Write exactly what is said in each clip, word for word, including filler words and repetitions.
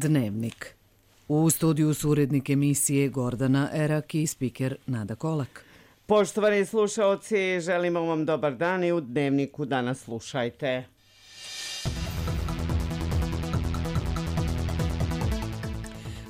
Dnevnik. U studiju su urednik emisije Gordana Erak i spiker Nada Kolak. Poštovani slušaoci, želimo vam dobar dan i u Dnevniku danas slušajte.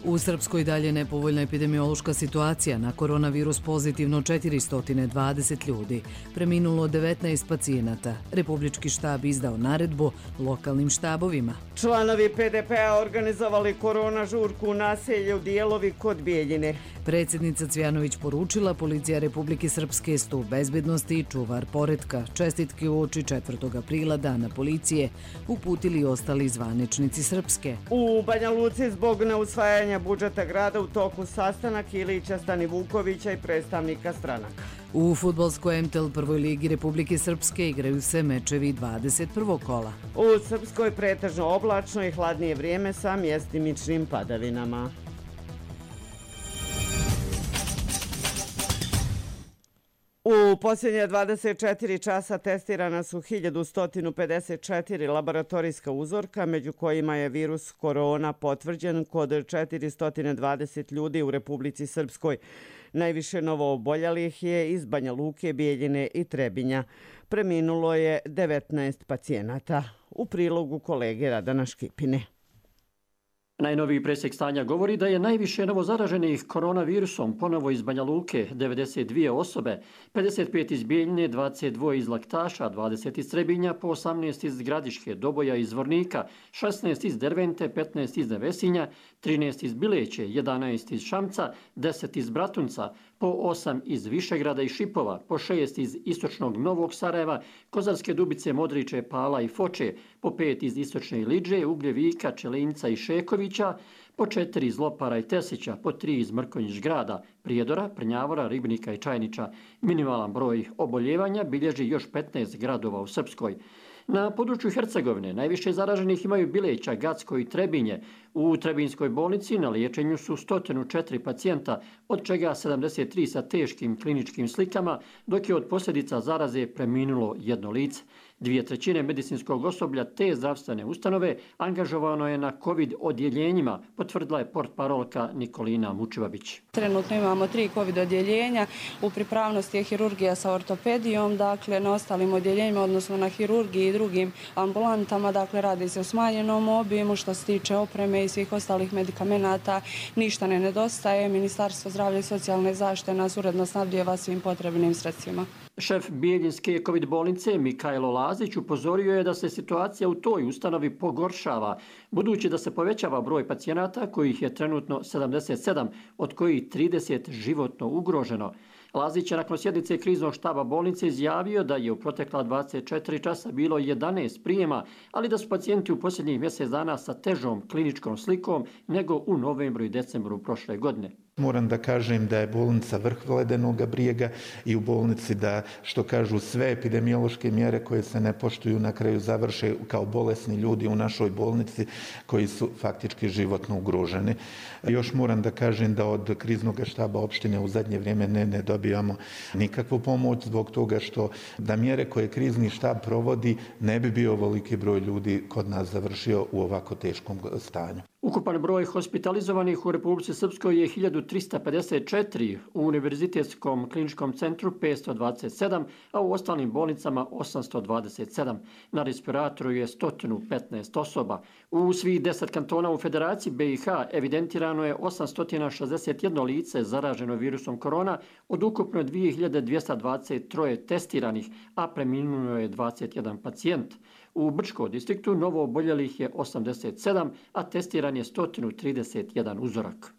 U Srpskoj dalje nepovoljna epidemiološka situacija. Na koronavirus pozitivno četiristo dvadeset ljudi. Preminulo devetnaest pacijenata. Republički štab izdao naredbu lokalnim štabovima. Članovi P D P-a organizovali korona žurku u naselju Dijelovi kod Bijeljine. Predsjednica Cvjanović poručila policija Republike Srpske stup bezbednosti i čuvar poretka. Čestitke uoči četvrtog aprila dana policije uputili ostali zvaničnici Srpske. U Banja Luci zbog neusvajanja budžeta grada u toku sastanak Ilića, Stanivukovića i predstavnika stranaka. U fudbalskoj M T L prvoj ligi Republike Srpske igraju se mečevi dvadeset prvog kola. U Srpskoj pretežno oblačno i hladnije vrijeme sa mjestimičnim padavinama. U posljednje dvadeset četiri časa testirana su hiljadu sto pedeset četiri laboratorijska uzorka, među kojima je virus korona potvrđen kod četiristo dvadeset ljudi u Republici Srpskoj. Najviše novooboljelih je iz Banja Luke, Bijeljine i Trebinja. Preminulo je devetnaest pacijenata. U prilogu kolege Radana Škipine. Najnoviji presjek stanja govori da je najviše novozaraženih koronavirusom ponovo iz Banja Luke, devedeset dvije osobe, pedeset pet iz Bijeljine, dvadeset dva iz Laktaša, dvadeset iz Trebinja, po osamnaest iz Gradiške, Doboja iz Zvornika, šesnaest iz Dervente, petnaest iz Nevesinja, trinaest iz Bileće, jedanaest iz Šamca, deset iz Bratunca, po osam iz Višegrada i Šipova, po šest iz istočnog Novog Sarajeva, Kozarske Dubice, Modriče, Pala i Foče, po pet iz istočne Iliđe, Ugljevika, Čelinca i Šekovića, po četiri iz Lopara i Tesića, po tri iz Mrkonjić grada, Prijedora, Prnjavora, Ribnika i Čajniča. Minimalan broj oboljevanja bilježi još petnaest gradova u Srpskoj. Na području Hercegovine najviše zaraženih imaju Bileća, Gacko i Trebinje. U Trebinjskoj bolnici na liječenju su sto četiri pacijenta, od čega sedamdeset tri sa teškim kliničkim slikama, dok je od posljedica zaraze preminulo jedno lice. Dvije trećine medicinskog osoblja te zdravstvene ustanove angažovano je na COVID odjeljenjima, potvrdila je portparolka Nikolina Mučivabić. Trenutno imamo tri COVID odjeljenja, u pripravnosti je hirurgija sa ortopedijom, dakle na ostalim odjeljenjima, odnosno na hirurgiji i drugim ambulantama, dakle radi se o smanjenom obimu. Što se tiče opreme i svih ostalih medikamenata, ništa ne nedostaje. Ministarstvo zdravlja i socijalne zaštite nas uredno snabdijeva svim potrebnim sredstvima. Šef Bijeljinske COVID bolnice Mikajlo Lazić upozorio je da se situacija u toj ustanovi pogoršava, budući da se povećava broj pacijenata kojih je trenutno sedamdeset sedam, od kojih trideset životno ugroženo. Lazić je nakon sjednice kriznog štaba bolnice izjavio da je u protekla dvadeset četiri časa bilo jedanaest prijema, ali da su pacijenti u posljednjih mjesec dana sa težom kliničkom slikom nego u novembru i decembru prošle godine. Moram da kažem da je bolnica vrh ledenog brijega i u bolnici da, što kažu, sve epidemiološke mjere koje se ne poštuju na kraju završe kao bolesni ljudi u našoj bolnici koji su faktički životno ugroženi. Još moram da kažem da od kriznog štaba opštine u zadnje vrijeme ne, ne dobijamo nikakvu pomoć zbog toga što da mjere koje krizni štab provodi ne bi bio ovoliki broj ljudi kod nas završio u ovako teškom stanju. Ukupan broj hospitalizovanih u Republici Srpskoj je hiljadu trista pedeset četiri, u Univerzitetskom kliničkom centru petsto dvadeset sedam, a u ostalim bolnicama osamsto dvadeset sedam. Na respiratoru je sto petnaest osoba. U svih deset kantona u Federaciji B i H evidentirano je osamsto šezdeset jedno lice zaraženo virusom korona od ukupno dvije hiljade dvjesto dvadeset tri testiranih, a preminulo je dvadeset jedan pacijent. U Brčkom distriktu novo oboljelih je osamdeset sedam, a testiran je sto trideset jedan uzorak.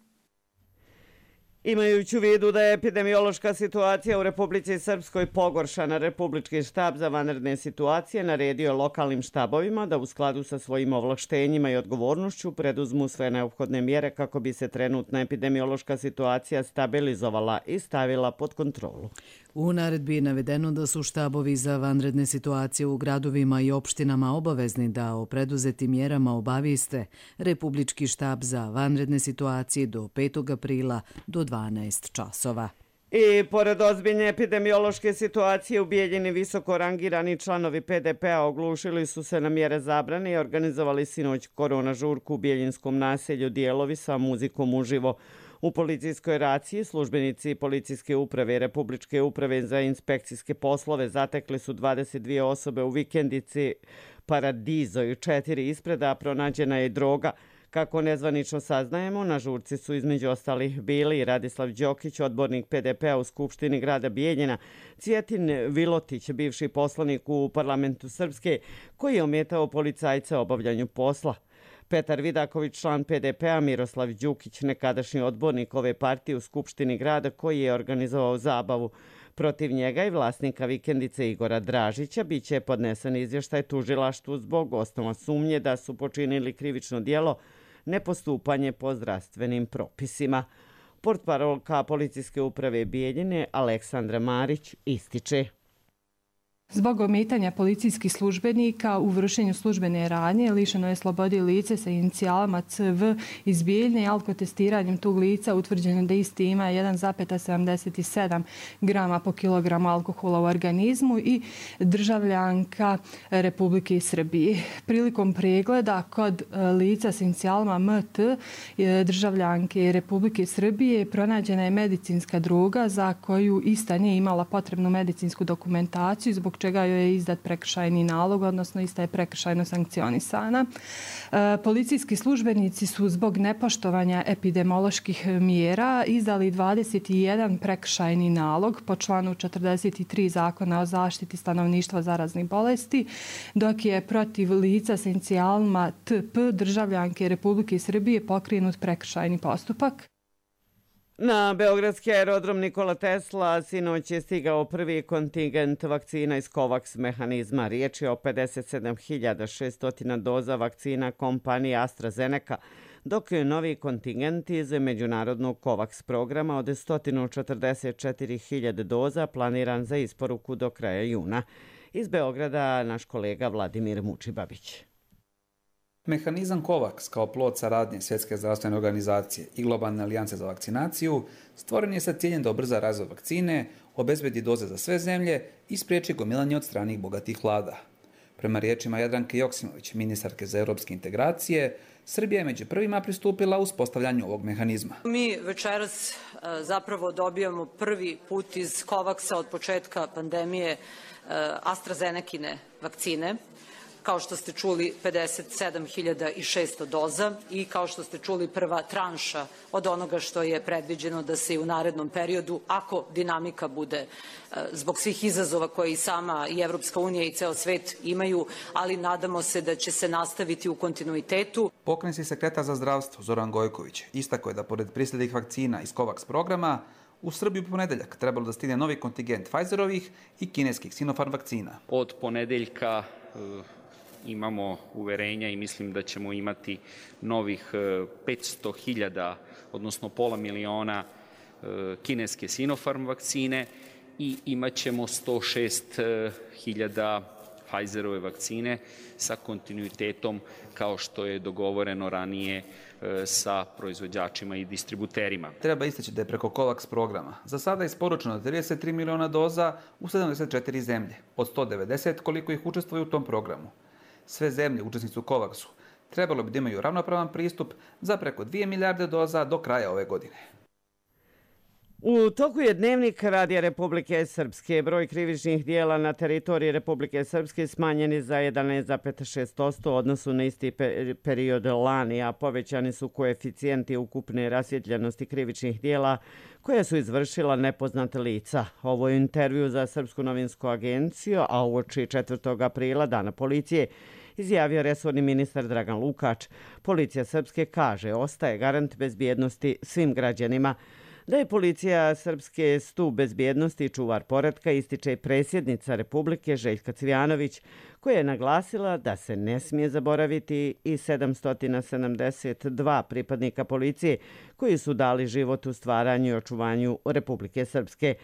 Imajući u vidu da je epidemiološka situacija u Republici Srpskoj pogoršana, Republički štab za vanredne situacije naredio lokalnim štabovima da u skladu sa svojim ovlaštenjima i odgovornošću preduzmu sve neophodne mjere kako bi se trenutna epidemiološka situacija stabilizovala i stavila pod kontrolu. U naredbi je navedeno da su štabovi za vanredne situacije u gradovima i opštinama obavezni da o preduzetim mjerama obavijeste Republički štab za vanredne situacije do petog aprila do dvanaest časova. I pored ozbiljne epidemiološke situacije u Bijeljini visoko rangirani članovi P D P-a oglušili su se na mjere zabrane i organizovali sinoć korona žurku u Bijeljinskom naselju Dijelovi sa muzikom uživo. U policijskoj raciji službenici policijske uprave i Republičke uprave za inspekcijske poslove zatekli su dvadeset dvije osobe u vikendici Paradizo i četiri ispreda pronađena je droga. Kako nezvanično saznajemo, na žurci su između ostalih bili Radislav Đokić, odbornik P D P-a u Skupštini grada Bijeljina, Cvjetin Vilotić, bivši poslanik u parlamentu Srpske, koji je ometao policajca obavljanju posla, Petar Vidaković, član P D P-a, Miroslav Đukić, nekadašnji odbornik ove partije u Skupštini grada, koji je organizovao zabavu. Protiv njega i vlasnika vikendice Igora Dražića biće podnesen izvještaj tužilaštvu zbog osnova sumnje da su počinili krivično djelo nepostupanje po zdravstvenim propisima. Portparolka policijske uprave Bijeljine Aleksandra Marić ističe: Zbog ometanja policijskih službenika u vršenju službene radnje lišeno je slobode lice sa inicijalama C V iz Bijeljne i alkotestiranjem tog lica utvrđeno da isti ima jedan zarez sedamdeset sedam grama po kilogramu alkohola u organizmu i državljanka Republike Srbije. Prilikom pregleda kod lica sa inicijalama M T državljanke Republike Srbije pronađena je medicinska droga za koju ista nije imala potrebnu medicinsku dokumentaciju, zbog čega joj je izdat prekršajni nalog, odnosno ista je prekršajno sankcionisana. E, policijski službenici su zbog nepoštovanja epidemioloških mjera izdali dvadeset jedan prekršajni nalog po članu četrdeset tri Zakona o zaštiti stanovništva zaraznih bolesti, dok je protiv lica sa inicijalima T P državljanke Republike Srbije pokrenut prekršajni postupak. Na beogradski aerodrom Nikola Tesla sinoć je stigao prvi kontingent vakcina iz COVAX mehanizma. Riječ je o pedeset sedam hiljada šesto doza vakcina kompanije AstraZeneca, dok je novi kontingent iz međunarodnog COVAX programa od sto četrdeset četiri hiljade doza planiran za isporuku do kraja juna. Iz Beograda naš kolega Vladimir Mučibabić. Mehanizam COVAX kao plod saradnje Svjetske zdravstvene organizacije i Globalne alijance za vakcinaciju stvoren je sa ciljem da ubrza razvoj vakcine, obezbedi doze za sve zemlje i spriječi gomilanje od stranih bogatih vlada. Prema riječima Jadranke Joksimović, ministarke za europske integracije, Srbija je među prvima pristupila uspostavljanju ovog mehanizma. Mi večeras zapravo dobijamo prvi put iz COVAX-a od početka pandemije AstraZenecine vakcine. Kao što ste čuli, pedeset sedam hiljada šesto doza i kao što ste čuli, prva tranša od onoga što je predviđeno da se i u narednom periodu, ako dinamika bude zbog svih izazova koje i sama i Evropska unija i ceo svet imaju, ali nadamo se da će se nastaviti u kontinuitetu. Pokrajinski sekretar za zdravstvo Zoran Gojković istakao je da pored prislednih vakcina iz COVAX programa u Srbiju u ponedeljak trebalo da stigne novi kontingent Pfizerovih i kineskih Sinopharm vakcina. Od ponedeljka imamo uverenja i mislim da ćemo imati novih petsto hiljada, odnosno pola miliona kineske Sinopharm vakcine i imat ćemo sto šest hiljada Pfizerove vakcine sa kontinuitetom kao što je dogovoreno ranije sa proizvođačima i distributerima. Treba istaći da je preko COVAX programa za sada isporučeno trideset tri miliona doza u sedamdeset četiri zemlje, od sto devedeset koliko ih učestvuje u tom programu. Sve zemlje učesnice u COVAX-u trebalo bi da imaju ravnopravan pristup za preko dvije milijarde doza do kraja ove godine. U toku je Dnevnik Radija Republike Srpske. Broj krivičnih dijela na teritoriji Republike Srpske smanjeni za jedanaest zarez šest posto u odnosu na isti period lani, a povećani su koeficijenti ukupne rasvjetljenosti krivičnih dijela koje su izvršila nepoznata lica. Ovo je intervju za Srpsku novinsku agenciju, a uoči četvrtog aprila, dana policije, izjavio resorni ministar Dragan Lukač. Policija Srpske kaže ostaje garant bezbjednosti svim građanima. Da je policija Srpske stup bezbjednosti i čuvar poretka, ističe i predsjednica Republike Željka Cvijanović, koja je naglasila da se ne smije zaboraviti i sedamsto sedamdeset dva pripadnika policije koji su dali život u stvaranju i očuvanju Republike Srpske.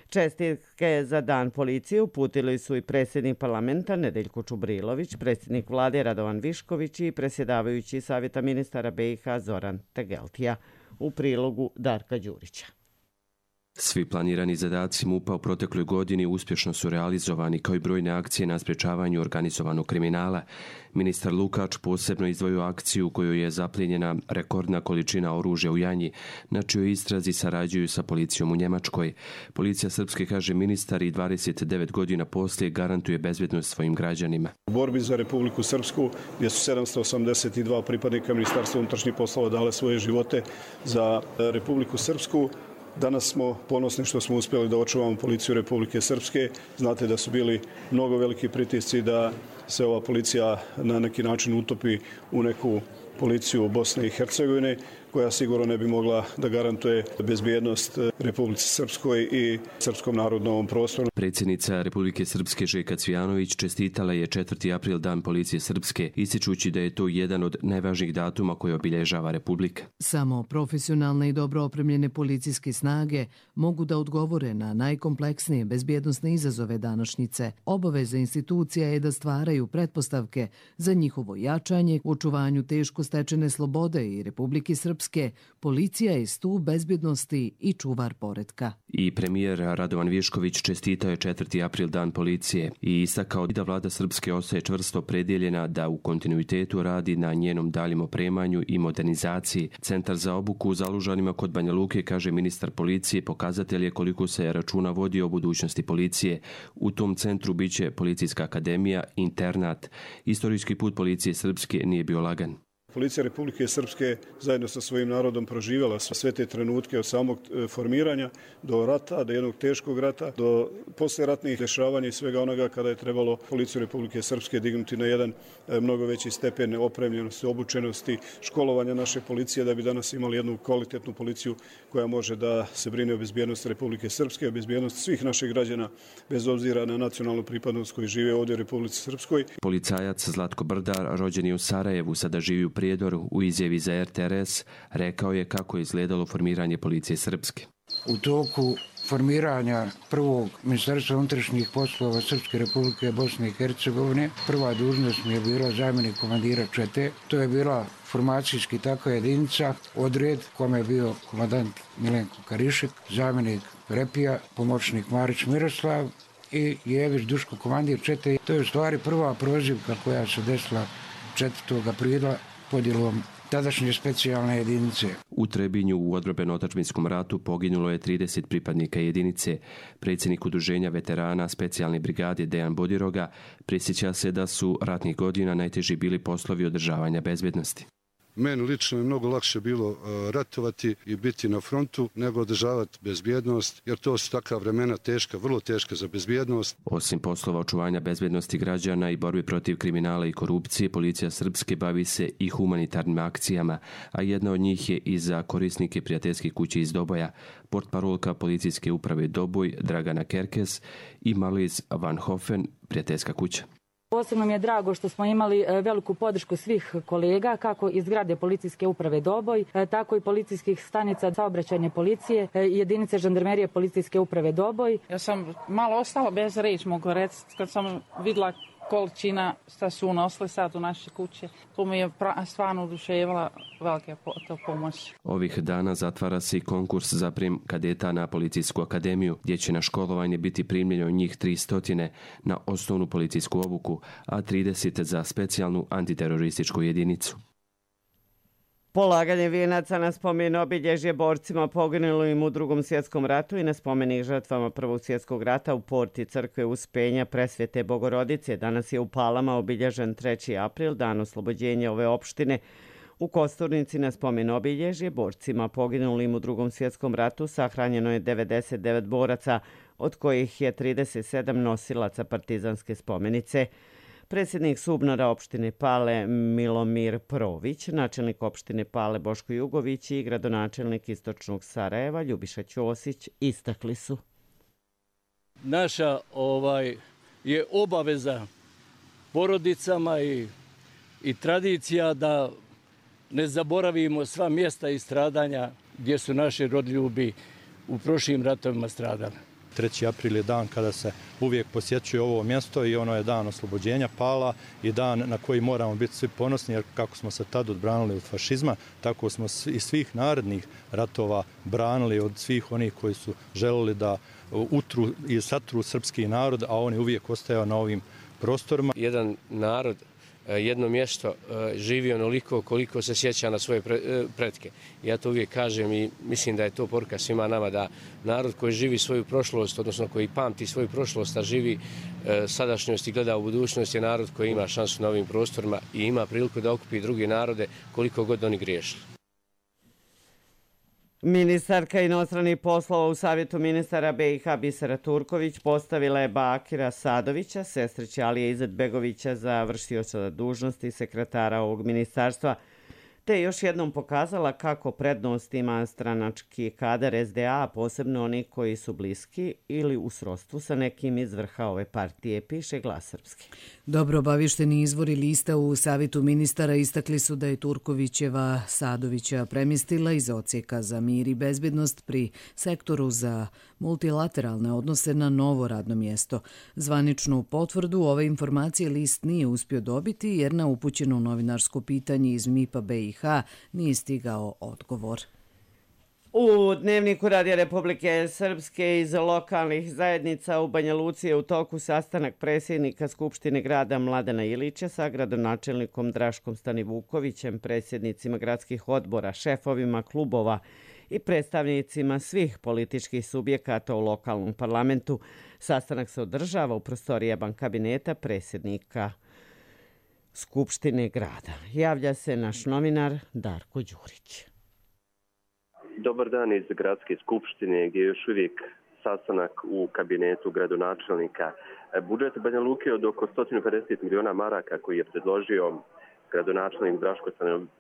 Čestitke za dan policije uputili su i predsjednik parlamenta Nedeljko Čubrilović, predsjednik vlade Radovan Višković i predsjedavajući savjeta ministara B i H Zoran Tegeltija. U prilogu Darka Đurića. Svi planirani zadaci MUP-a u protekloj godini uspješno su realizovani, kao i brojne akcije na sprječavanju organizovanog kriminala. Ministar Lukač posebno izdvojio akciju u kojoj je zaplijenjena rekordna količina oružja u Janji, na čijoj istrazi sarađuju sa policijom u Njemačkoj. Policija Srpske, kaže ministar, i dvadeset devet godina poslije garantuje bezbjednost svojim građanima. U borbi za Republiku Srpsku, gdje su sedamsto osamdeset dva pripadnika Ministarstva unutrašnjih poslova dale svoje živote za Republiku Srpsku, danas smo ponosni što smo uspjeli da očuvamo policiju Republike Srpske. Znate da su bili mnogo veliki pritisci da se ova policija na neki način utopi u neku policiju Bosne i Hercegovine, koja sigurno ne bi mogla da garantuje bezbjednost Republici Srpskoj i srpskom narodu na ovom prostoru. Predsjednica Republike Srpske Željka Cvijanović čestitala je četvrti april Dan policije Srpske, ističući da je to jedan od najvažnijih datuma koje obilježava Republika. Samo profesionalne i dobro opremljene policijske snage mogu da odgovore na najkompleksnije bezbjednosne izazove današnjice. Obaveza institucija je da stvaraju pretpostavke za njihovo jačanje, u očuvanju teško stečene slobode i Republike Srpske. Policija je stub bezbjednosti i čuvar poretka. I premijer Radovan Višković čestitao je četvrti april Dan policije i istakao da vlada Srpske ostaje čvrsto predjeljena da u kontinuitetu radi na njenom daljem opremanju i modernizaciji. Centar za obuku u Zalužanima kod Banja Luke, kaže ministar policije, pokazatelj je koliko se računa vodi o budućnosti policije. U tom centru biće policijska akademija, internat. Istorijski put policije Srpske nije bio lagan. Policija Republike Srpske zajedno sa svojim narodom proživjela sve te trenutke od samog formiranja do rata, do jednog teškog rata, do posleratnih dešavanja i svega onoga kada je trebalo policiju Republike Srpske dignuti na jedan mnogo veći stepen opremljenosti, obučenosti, školovanja naše policije da bi danas imali jednu kvalitetnu policiju koja može da se brine o bezbjednosti Republike Srpske, o bezbjednosti svih naših građana bez obzira na nacionalnu pripadnost koji žive ovdje u Republici Srpskoj. Policajac Zlatko Brdar, rođen je u Sarajevu, sada živi u Prijedoru, u izjavi za R T R S, rekao je kako je izgledalo formiranje policije Srpske. U toku formiranja prvog Ministarstva unutrašnjih poslova Srpske Republike Bosne i Hercegovine, prva dužnost mi je bila zamjenik komandira čete. To je bila formacijski takva jedinica, odred kome je bio komandant Milenko Karišek, zamjenik Repija, pomoćnik Marić Miroslav i Jević Duško, komandir čete. To je u stvari prva prozivka koja se desila četvrtog aprila podjelom tadašnje specijalne jedinice. U Trebinju u odbrambeno-otadžbinskom ratu poginulo je trideset pripadnika jedinice. Predsjednik udruženja veterana specijalne brigade Dejan Bodiroga prisjeća se da su ratnih godina najteži bili poslovi održavanja bezbjednosti. Meni lično je mnogo lakše bilo ratovati i biti na frontu nego održavati bezbjednost, jer to su takva vremena teška, vrlo teška za bezbjednost. Osim poslova očuvanja bezbjednosti građana i borbi protiv kriminala i korupcije, policija Srpske bavi se i humanitarnim akcijama, a jedna od njih je i za korisnike prijateljske kuće iz Doboja. Portparolka policijske uprave Doboj Dragana Kerkes i Marlies Van Hofen, prijateljska kuća. Posebno mi je drago što smo imali veliku podršku svih kolega, kako iz zgrade policijske uprave Doboj, tako i policijskih stanica saobraćajne policije i jedinice žandarmerije policijske uprave Doboj. Ja sam malo ostala bez reći, mogu reći, kad sam vidjela količina šta su unosili sad u naše kuće. To mi je stvarno oduševila velika pomoć. Ovih dana zatvara se i konkurs za prijem kadeta na Policijsku akademiju, gdje će na školovanje biti primljeno njih tristo na osnovnu policijsku obuku, a trideset za specijalnu antiterorističku jedinicu. Polaganje vijenaca na spomen obilježje borcima poginulim u Drugom svjetskom ratu i na spomenik žrtvama Prvog svjetskog rata u porti crkve Uspenja Presvete Bogorodice. Danas je u Palama obilježen treći april, dan oslobođenja ove opštine. U Kosturnici na spomen obilježje borcima poginulim u Drugom svjetskom ratu sahranjeno je devedeset devet boraca, od kojih je trideset sedam nosilaca partizanske spomenice. Predsjednik Subnora opštine Pale Milomir Prović, načelnik opštine Pale Boško Jugović i gradonačelnik Istočnog Sarajeva Ljubiša Ćosić istakli su. Naša ovaj je obaveza porodicama i, i tradicija da ne zaboravimo sva mjesta i stradanja gdje su naši rodljubi u prošlim ratovima stradali. treći april je dan kada se uvijek posjećuje ovo mjesto i ono je dan oslobođenja Pala i dan na koji moramo biti svi ponosni, jer kako smo se tad odbranili od fašizma, tako smo i svih narednih ratova branili od svih onih koji su želeli da utru i satru srpski narod, a on je uvijek ostajao na ovim prostorima. Jedan narod, jedno mjesto živi onoliko koliko se sjeća na svoje pretke. Ja to uvijek kažem i mislim da je to poruka svima nama, da narod koji živi svoju prošlost, odnosno koji pamti svoju prošlost, a živi sadašnjost i gleda u budućnost, je narod koji ima šansu na ovim prostorima i ima priliku da okupi druge narode koliko god oni griješili. Ministarka inostranih poslova u Savjetu ministara be i ha Bisera Turković postavila je Bakira Sadovića, sestrića Alije Izetbegovića, za vršioca dužnosti sekretara ovog ministarstva, te još jednom pokazala kako prednost ima stranački kadar es de a, posebno oni koji su bliski ili u srodstvu sa nekim iz vrha ove partije, piše Glas srpski. Dobro obavišteni izvori lista u Savjetu ministara istakli su da je Turkovićeva Sadovića premjestila iz odsjeka za mir i bezbjednost pri sektoru za multilateralne odnose na novo radno mjesto. Zvaničnu potvrdu ove informacije list nije uspio dobiti jer na upućeno novinarsko pitanje iz mipa be i ha nije stigao odgovor. U Dnevniku Radija Republike Srpske iz lokalnih zajednica u Banja Luci je u toku sastanak predsjednika Skupštine grada Mladena Ilića sa gradonačelnikom Draškom Stanivukovićem, predsjednicima gradskih odbora, šefovima klubova i predstavnicima svih političkih subjekata u lokalnom parlamentu. Sastanak se održava u prostorijama kabineta predsjednika Skupštine grada. Javlja se naš novinar Darko Đurić. Dobar dan iz Gradske skupštine, gdje je još uvijek sastanak u kabinetu gradonačelnika. Budžet Banja Luke od oko sto pedeset miliona maraka koji je predložio gradonačelnik Draško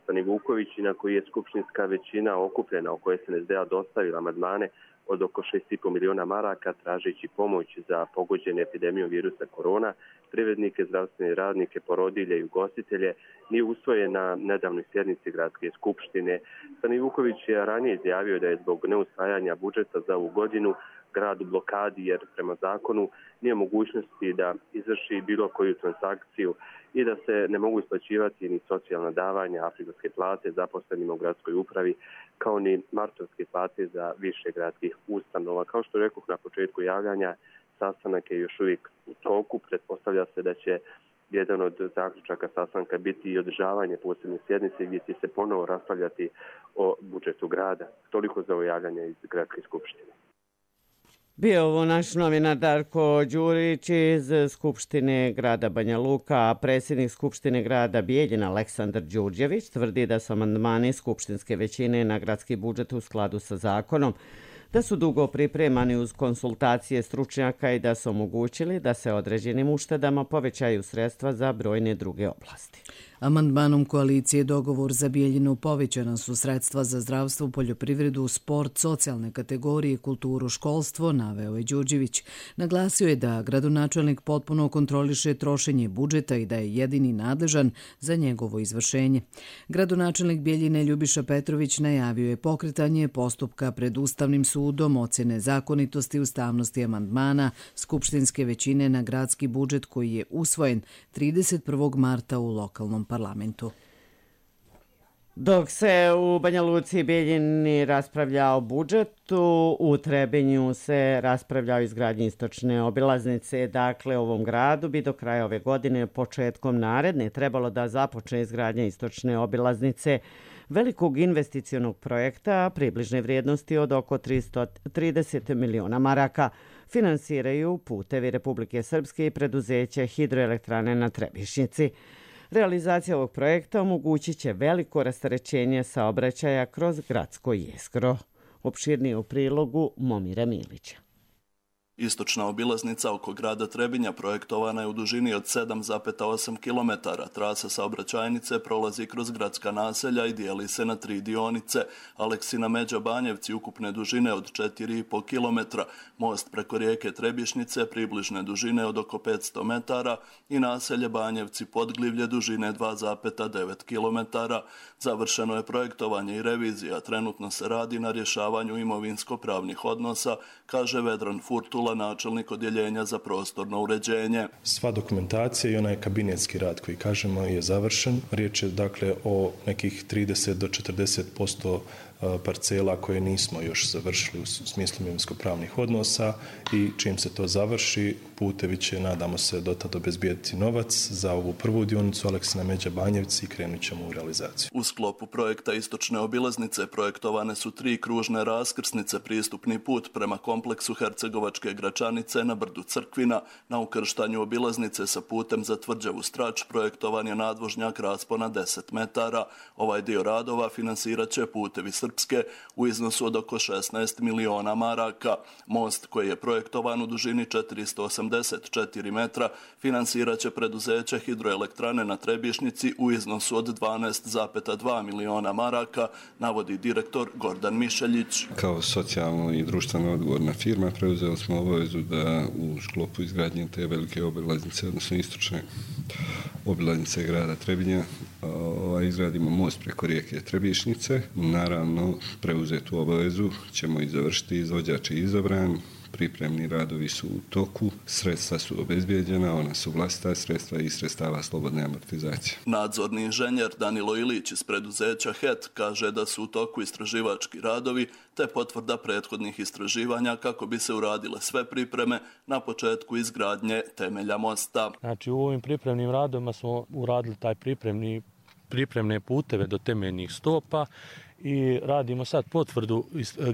Stanivuković i na koji je skupštinska većina okupljena oko es en es de a dostavila amandmane od oko šest i po miliona maraka tražeći pomoć za pogođene epidemijom virusa korona, privrednike, zdravstvene radnike, porodilje i ugostitelje, nije usvojen na nedavnoj sjednici Gradske skupštine. Stanivuković je ranije izjavio da je zbog neusvajanja budžeta za ovu godinu grad u blokadi jer prema zakonu nije mogućnosti da izvrši bilo koju transakciju i da se ne mogu isplaćivati ni socijalna davanja, afričke plate zaposlenima u gradskoj upravi, kao ni martovske plate za više gradskih ustanova. Kao što rekoh na početku javljanja, sastanak je još uvijek u toku. Pretpostavlja se da će jedan od zaključaka sastanka biti i održavanje posebne sjednice gdje će se ponovo raspravljati o budžetu grada. Toliko za ovo javljanje iz Gradske skupštine. Bio ovo naš novinar Darko Đurić iz Skupštine grada Banja Luka, a predsjednik Skupštine grada Bijeljina Aleksandar Đurđević tvrdi da su amandmani skupštinske većine na gradski budžet u skladu sa zakonom, da su dugo pripremani uz konsultacije stručnjaka i da su omogućili da se određenim uštedama povećaju sredstva za brojne druge oblasti. Amandmanom koalicije Dogovor za Bijeljinu povećana su sredstva za zdravstvo, poljoprivredu, sport, socijalne kategorije, kulturu, školstvo, naveo je Đurđević. Naglasio je da gradonačelnik potpuno kontroliše trošenje budžeta i da je jedini nadležan za njegovo izvršenje. Gradonačelnik Bijeljine Ljubiša Petrović najavio je pokretanje postupka pred Ustavnim sudom ocjene zakonitosti ustavnosti amandmana skupštinske većine na gradski budžet koji je usvojen trideset prvog marta u lokalnom parlamentu. Dok se u Banja Luci i Bijeljini raspravlja o budžetu, u Trebinju se raspravlja o izgradnji istočne obilaznice. Dakle, ovom gradu bi do kraja ove godine, početkom naredne, trebalo da započne izgradnja istočne obilaznice velikog investicionog projekta približne vrijednosti od oko tristo trideset miliona maraka. Finansiraju Putevi Republike Srpske i preduzeće Hidroelektrane na Trebišnjici. Realizacija ovog projekta omogućit će veliko rasterećenje saobraćaja kroz gradsko jezgro. Opširnije u prilogu Momira Milića. Istočna obilaznica oko grada Trebinja projektovana je u dužini od sedam zarez osam kilometara. Trasa saobraćajnice prolazi kroz gradska naselja i dijeli se na tri dionice. Aleksina Međa Banjevci ukupne dužine od četiri zarez pet kilometra, most preko rijeke Trebišnjice približne dužine od oko petsto metara i naselje Banjevci Podglivlje dužine dva zarez devet kilometara. Završeno je projektovanje i revizija. Trenutno se radi na rješavanju imovinsko-pravnih odnosa, kaže Vedran Furtula, potvrdila načelnik odjeljenja za prostorno uređenje. Sva dokumentacija i onaj kabinetski rad koji kažemo je završen. Riječ je dakle o nekih trideset do četrdeset posto parcela koje nismo još završili u smislu imovinsko-pravnih odnosa i čim se to završi, putevi će, nadamo se, dotad obezbijediti novac za ovu prvu dionicu Aleksina Međa Banjevci i krenut ćemo u realizaciju. U sklopu projekta Istočne obilaznice projektovane su tri kružne raskrsnice, pristupni put prema kompleksu Hercegovačke Gračanice na brdu Crkvina. Na ukrštanju obilaznice sa putem za Tvrđavu Strač projektovan je nadvožnjak raspona deset metara. Ovaj dio radova finansirat će Putevi Srpske u iznosu od oko šesnaest miliona maraka. Most koji je projektovan u dužini četiristo osamdeset četiri metra finansirat će preduzeće Hidroelektrane na Trebišnjici u iznosu od dvanaest zarez dva miliona maraka, navodi direktor Gordan Mišeljić. Kao socijalno i društveno odgovorna firma preuzeli smo obavezu da u sklopu izgradnje te velike obilaznice, odnosno istočne obilaznice grada Trebinja, izgradimo most preko rijeke Trebišnjice. Naravno, preuzetu obavezu ćemo i završiti, izvođač je izabran, pripremni radovi su u toku, sredstva su obezbijeđena, ona su vlastita sredstva i sredstava slobodne amortizacije. Nadzorni inženjer Danilo Ilić iz preduzeća H E T kaže da su u toku istraživački radovi te potvrda prethodnih istraživanja kako bi se uradile sve pripreme na početku izgradnje temelja mosta. Znači u ovim pripremnim radovima smo uradili taj pripremni, pripremne puteve do temeljnih stopa i radimo sad potvrdu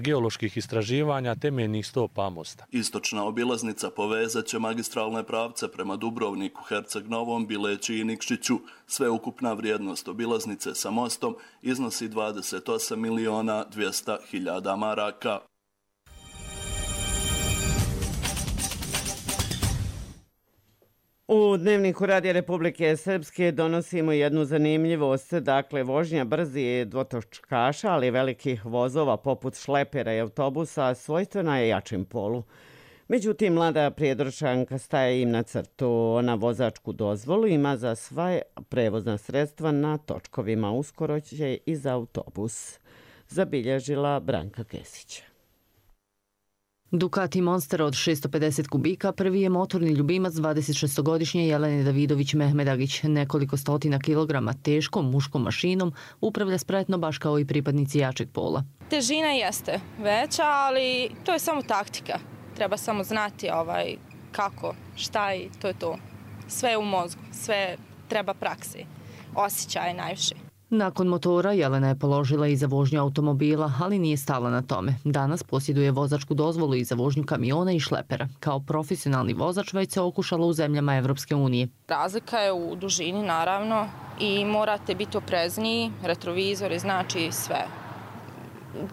geoloških istraživanja temeljnih stopa mosta. Istočna obilaznica povezat će magistralne pravce prema Dubrovniku, Herceg Novom, Bileći i Nikšiću. Sveukupna vrijednost obilaznice sa mostom iznosi dvadeset osam miliona dvjesto hiljada maraka. U Dnevniku Radija Republike Srpske donosimo jednu zanimljivost, dakle vožnja brzi dvotočkaša, ali velikih vozova poput šlepera i autobusa svojstvena je jačem polu. Međutim, mlada prijedorčanka staje im na crtu. Ona vozačku dozvolu ima za sva prevozna sredstva na točkovima. Uskoro će i za autobus, zabilježila Branka Kesić. Ducati Monster od šesto pedeset kubika prvi je motorni ljubimac dvadesetšestogodišnje Jelene Davidović Mehmedagić. Nekoliko stotina kilograma teškom muškom mašinom upravlja spretno baš kao i pripadnici jačeg pola. Težina jeste veća, ali to je samo taktika. Treba samo znati ovaj, kako, šta i to je to. Sve je u mozgu, sve treba praksi, osjećaj najviše. Nakon motora Jelena je položila i za vožnju automobila, ali nije stala na tome. Danas posjeduje vozačku dozvolu i za vožnju kamiona i šlepera. Kao profesionalni vozač već se okušala u zemljama Evropske unije. Razlika je u dužini naravno i morate biti oprezniji, retrovizori znači sve.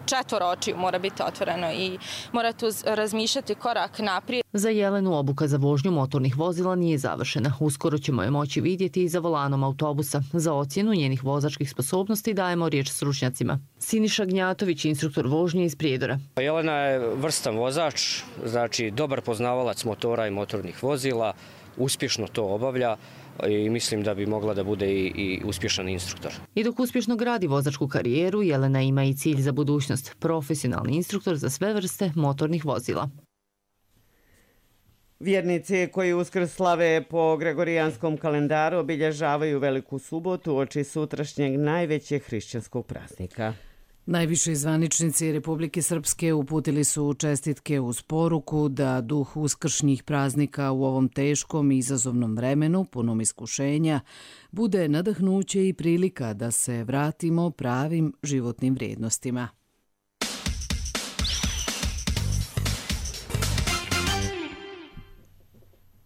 Četvoro očiju mora biti otvoreno i morate razmišljati korak naprijed. Za Jelenu obuka za vožnju motornih vozila nije završena. Uskoro ćemo je moći vidjeti i za volanom autobusa. Za ocjenu njenih vozačkih sposobnosti dajemo riječ stručnjacima. Siniša Gnjatović, instruktor vožnje iz Prijedora. Jelena je vrstan vozač, znači dobar poznavalac motora i motornih vozila, uspješno to obavlja i mislim da bi mogla da bude i, i uspješan instruktor. I dok uspješno gradi vozačku karijeru, Jelena ima i cilj za budućnost. Profesionalni instruktor za sve vrste motornih vozila. Vjernici koji Uskrs slave po gregorijanskom kalendaru obilježavaju Veliku subotu uoči sutrašnjeg najvećeg hrišćanskog praznika. Najviši zvaničnici Republike Srpske uputili su čestitke uz poruku da duh uskršnjih praznika u ovom teškom i izazovnom vremenu, punom iskušenja, bude nadahnuće i prilika da se vratimo pravim životnim vrijednostima.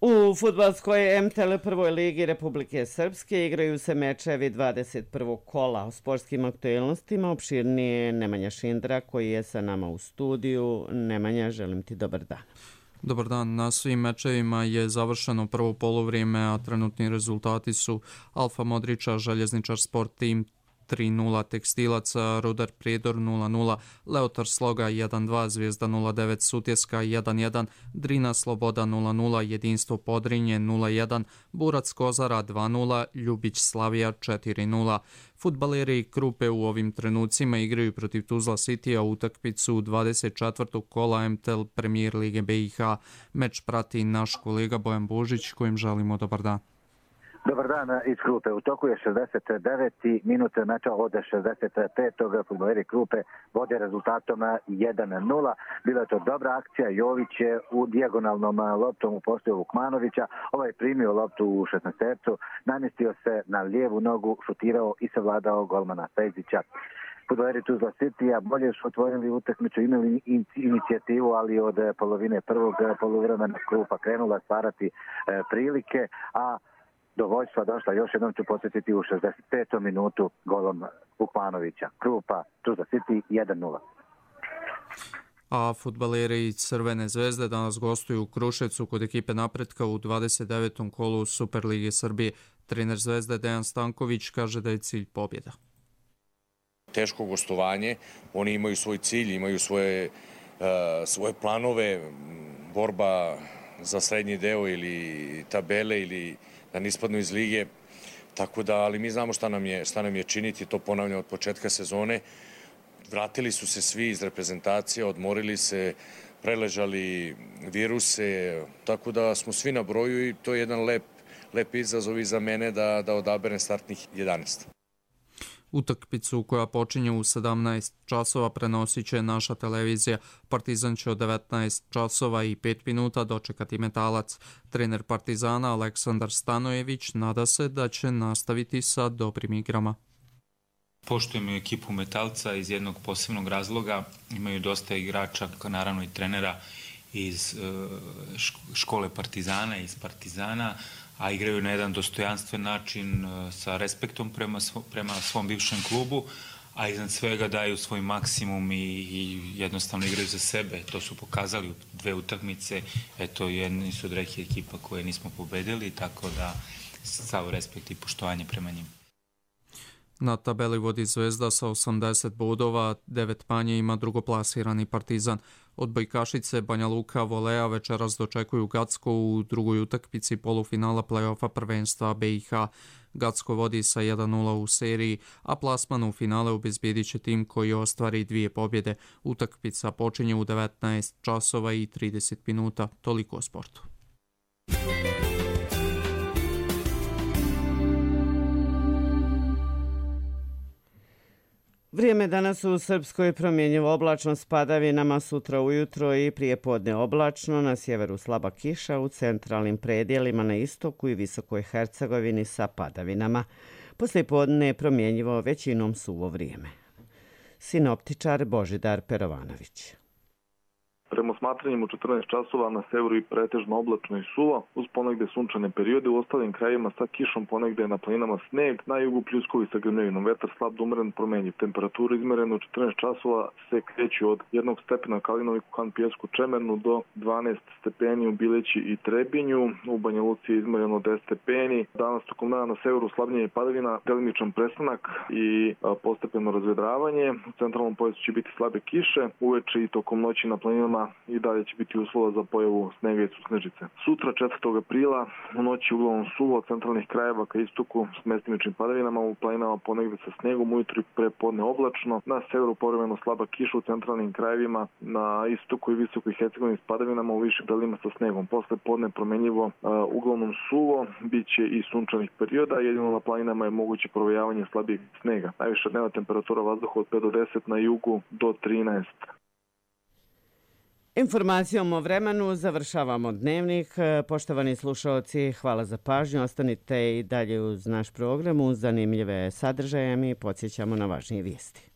U fudbalskoj em te el prvoj ligi Republike Srpske igraju se mečevi dvadeset prvog kola. O sportskim aktualnostima opširnije Nemanja Šindra koji je sa nama u studiju. Nemanja, želim ti dobar dan. Dobar dan. Na svim mečevima je završeno prvo polovrijeme, a trenutni rezultati su Alfa Modrića, Željezničar Sport Tim tri nula, Tekstilac Rudar Prijedor nula nula, Leotar Sloga jedan dva, Zvijezda nula devet, Sutjeska jedan jedan, Drina Sloboda nula nula, Jedinstvo Podrinje nula jedan, Burac Kozara dva nula, Ljubić Slavija četiri nula. Fudbaleri Krupe u ovim trenucima igraju protiv Tuzla Citya utakmicu dvadeset četvrtog kola M T L Premier Lige B i H. Meč prati naš kolega Bojan Božić, kojim želimo dobar dan. Dobar dan iz Krupe. U toku je šezdeset deveti minut meča od šezdeset petog Fudbaleri Krupe vode rezultatom jedan nula. Bila je to dobra akcija. Jović je u dijagonalnom loptom upostio Vukmanovića. Ovaj primio loptu u šesnaestercu, namjestio se na lijevu nogu, šutirao i savladao golmana Fejzića. Fudbaleri Tuzla Cityja bolje su otvorili utakmicu, imali inicijativu, ali od polovine prvog poluvremena Krupa krenula stvarati prilike, a do vojstva došla, još jednom ću podsjetiti, u šezdeset petom minutu golom Vukmanovića. Krupa, Tuzla City jedan nula. A fudbaleri Crvene zvezde danas gostuju u Kruševcu kod ekipe Napretka u dvadeset devetom kolu Superlige Srbije. Trener Zvezde Dejan Stanković kaže da je cilj pobjeda. Teško gostovanje, oni imaju svoj cilj, imaju svoje, uh, svoje planove, borba za srednji deo ili tabele ili da ne ispadnu iz lige, tako da, ali mi znamo šta nam je, šta nam je činiti, to ponavljam od početka sezone. Vratili su se svi iz reprezentacije, odmorili se, preležali viruse, tako da smo svi na broju i to je jedan lep, lep izazov i za mene da, da odaberem startnih jedanaest. Utakmicu koja počinje u sedamnaest časova prenosit će naša televizija. Partizan će od devetnaest časova i pet minuta dočekati Metalac. Trener Partizana Aleksandar Stanojević nada se da će nastaviti sa dobrim igrama. Poštujemo ekipu Metalca iz jednog posebnog razloga. Imaju dosta igrača, naravno i trenera iz škole Partizana, iz Partizana, a igraju na jedan dostojanstven način sa respektom prema, svo, prema svom bivšem klubu, a iznad svega daju svoj maksimum i, i jednostavno igraju za sebe. To su pokazali u dve utakmice. Eto, jedni su od reke ekipa koje nismo pobedili, tako da sav respekt i poštovanje prema njim. Na tabeli vodi Zvezda sa osamdeset bodova, devet manje ima drugoplasirani Partizan. Odbojkašice Banja Luka Volea večeras dočekuju Gacko u drugoj utakmici polufinala play-offa prvenstva B i H. Gacko vodi sa jedan nula u seriji, a plasman u finale obezbjedit će tim koji ostvari dvije pobjede. Utakmica počinje u devetnaest časova i trideset minuta. Toliko o sportu. Vrijeme danas u Srpskoj promjenjivo oblačno s padavinama, sutra ujutro i prijepodne oblačno, na sjeveru slaba kiša, u centralnim predjelima na istoku i Visokoj Hercegovini sa padavinama. Poslijepodne je promjenjivo većinom suvo vrijeme. Sinoptičar Božidar Perovanović. Prema smatranjima u četrnaest časova na severu i pretežno oblačno i suvo, uz ponegde sunčane periode, u ostalim krajevima sa kišom, ponegde na planinama sneg, na jugu pljuskovi sa grmljavinom, vetar slab do umeren promenjiv. Temperatura izmerena u četrnaest časova se kreće od jednog stepena Kalinovi, Kukan, Pijesku, Čemernu do dvanaest stepeni u Bileći i Trebinju. U Banja Luci je izmereno deset stepeni. Danas tokom dana na severu slabnjenje padavina, delimičan prestanak i postepeno razvedravanje. U centralnom pojasu će biti slabe kiše, uveče i tokom noći na planinama i dalje će biti uslova za pojavu snega i susnežice. Sutra četvrtog aprila u noći uglavnom suvo od centralnih krajeva ka istoku s mestimičnim padavinama, u planinama ponegde sa snegom, ujutro i prepodne oblačno, na severu povremeno slaba kiša u centralnim krajevima, na istoku i Visokoj Hercegovini s padavinama, u višim predelima sa snegom. Posle podne promenljivo uh, uglavnom suvo, bit će i sunčanih perioda, jedino na planinama je moguće provejavanje slabijeg snega. Najviša dnevna temperatura vazduha od pet do deset, na jugu do trinaest. Informacijom o vremenu završavamo dnevnik. Poštovani slušalci, hvala za pažnju. Ostanite i dalje uz naš program uz zanimljive sadržaje. Mi podsjećamo na važnije vijesti.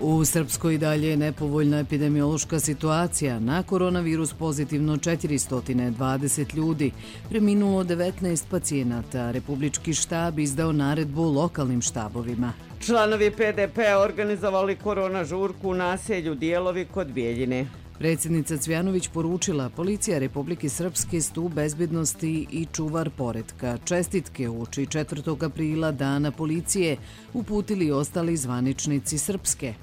U Srpskoj dalje je nepovoljna epidemiološka situacija. Na koronavirus pozitivno četiristo dvadeset ljudi, preminulo devetnaest pacijenata. Republički štab izdao naredbu lokalnim štabovima. Članovi P D P-a organizovali korona žurku u naselju Dijelovi kod Bijeljine. Predsjednica Cvjanović poručila: policija Republike Srpske stup bezbednosti i čuvar poretka. Čestitke uoči četvrtog aprila Dana policije uputili ostali zvaničnici Srpske.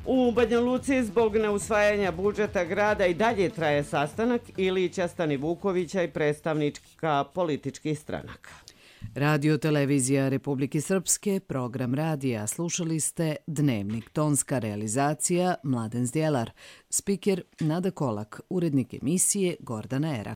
U Banja Luci zbog neusvajanja budžeta grada i dalje traje sastanak Ilića, Stani Vukovića i predstavnička političkih stranaka. Radio televizija Republike Srpske, program radija. Slušali ste Dnevnik, tonska realizacija Mladen Zdjelar, spiker Nada Kolak, urednik emisije Gordana Erak.